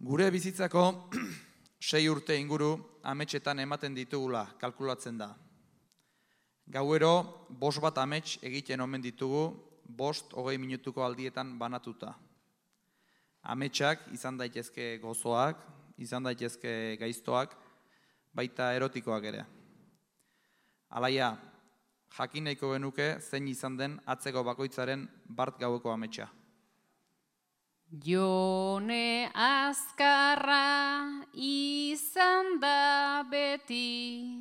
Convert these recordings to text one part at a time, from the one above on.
Gure bizitzako 6 urte inguru ametsetan ematen ditugula kalkulatzen da. Gauero 5 amets egiten omen ditugu 5-20 minutuko aldietan banatuta. Ametsak izan daitezke gozoak, izan daitezke gaiztoak, baita erotikoak ere. Alaia, jakin nahiko genuke zein izan den atzeko bakoitzaren bart gaueko ametsa. Jone azkarra izan da beti,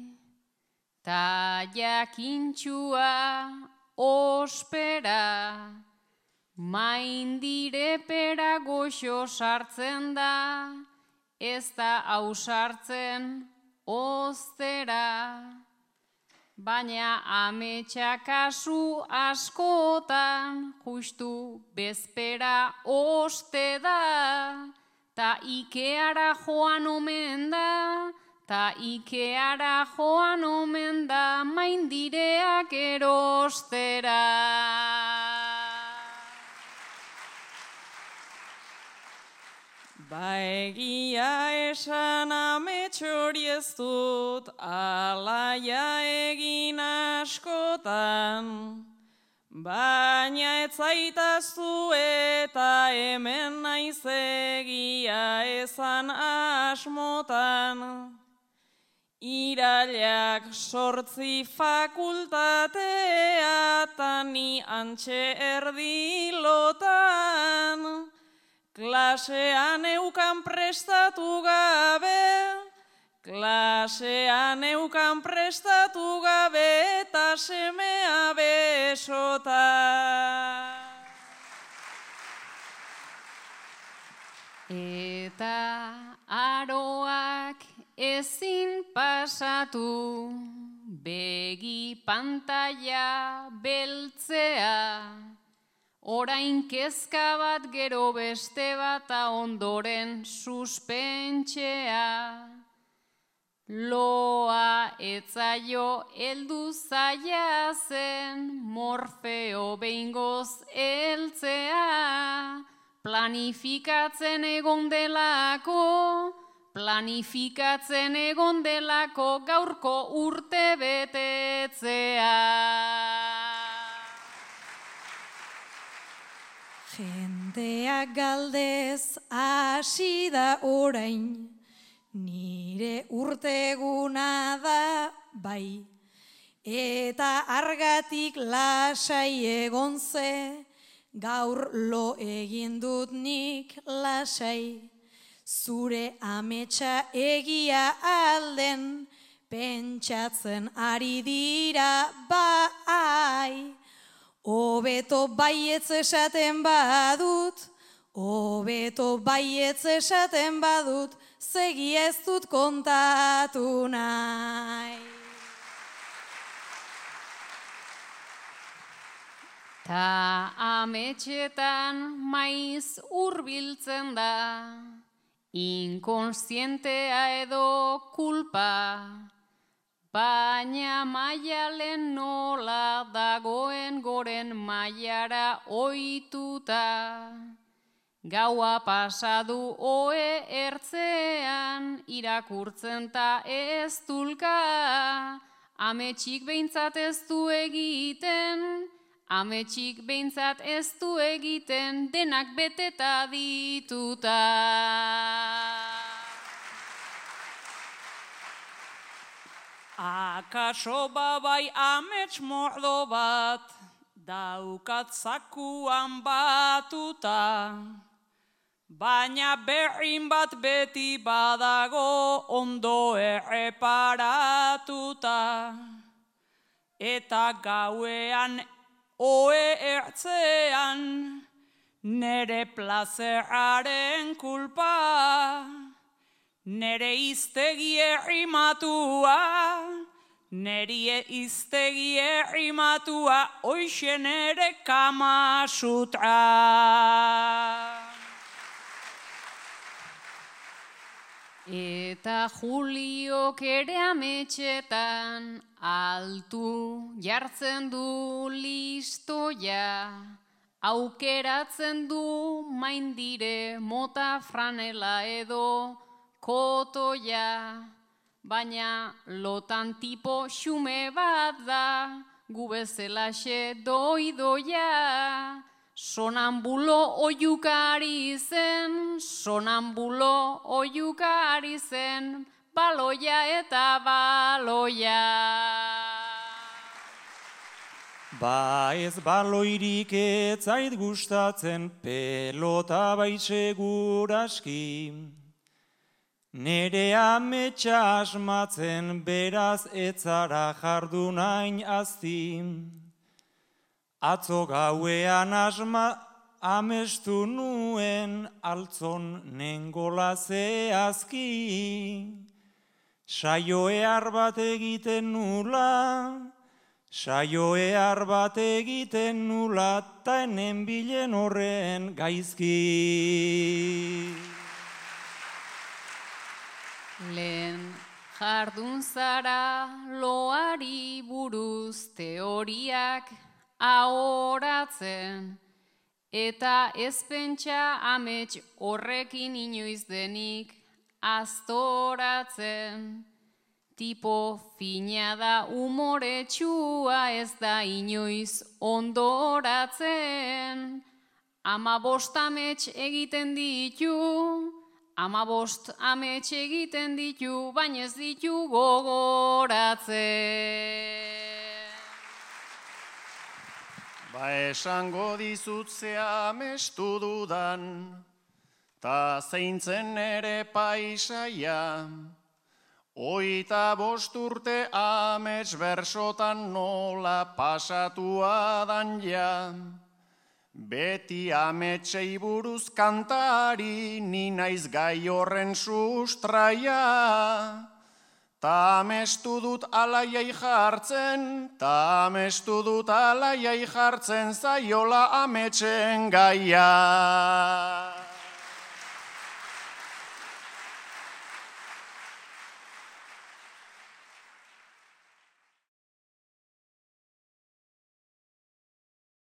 ta jakintxua ospera, maindirepera goxo sartzen da, ez da ausartzen oztera. Baina ametsa kasu askotan justu bezpera oste da, ta Ikeara joan omen da, maindireak erostera. Ba egia esan amets hori ez dut, alaia egin askotan, baina ez zaitaztu eta hemen naiz egia esan asmotan. Irailak 8 fakultatea ta ni antxe erdilotan, klasean eukan prestatu gabe, eta semea besota. Eta aroak ezin pasatu, begi pantalla beltzea, orain kezka bat gero beste bat ta ondoren suspentxea. Loa etzaio heldu zaila zen, Morfeo behingoz heltzea. Planifikatzen egon delako gaurko urte betetzea. Jendeak galdez hasi da orain, nire urteguna da bai, eta argatik lasai egon ze, gaur lo egin dut nik lasai. Zure ametsa egia alden, pentsatzen ari dira bai. Hobeto baietz esaten badut, segi ez dut kontatu nahi. Ta ametsetan maiz hurbiltzen da, inkonsientea edo kulpa, baina Maialen nola dagoen goren Maiara ohituta. Gaua pasadu ohe ertzean, irakurtzen ta ez dulka, ametsik behintzat ez du egiten, denak beteta dituta. Akaso babai amets mordo bat, daukat zakuan batuta, baina berrin bat beti badago ondo erreparatuta. Eta gauean ohe ertzean, nere plazeraren kulpa, nere iztegi errimatua, hoxe nere Kama Sutra. Eta Juliok ere ametsetan altu jartzen du listoia, Aukeratzen du maindire mota franela edo kotoia, baina lotan tipo xume bat da, gu bezelaxe doidoia. Sonambulo oiukari zen, baloia eta baloia. Ba ez baloirik ez zait gustatzen, pelota bai seguraski. Nere ametsa asmatzen, beraz ez zara jardunain azti. Atzo gauean amestu nuen, altzon nengola zehazki. Saioear bat egiten nula, ta enen bilen horren gaizki. Lehen jardun zara loari buruz teoriak ahoratzen, eta ez pentsa amets horrekin inoiz denik aztoratzen. Tipo fina da umoretsua, ez da inoiz ondoratzen. 15 amets egiten ditu, baina ez ditu gogoratzen. Ba esango dizut ze amestu dudan, ta zeintzen ere paisaia. 25 urte amets bersotan nola pasatua dan ja. Beti ametsei buruz kantari, ni naiz gai horren sustraia. Ta amestu dut alaiai jartzen, zaiola ametsen gaia.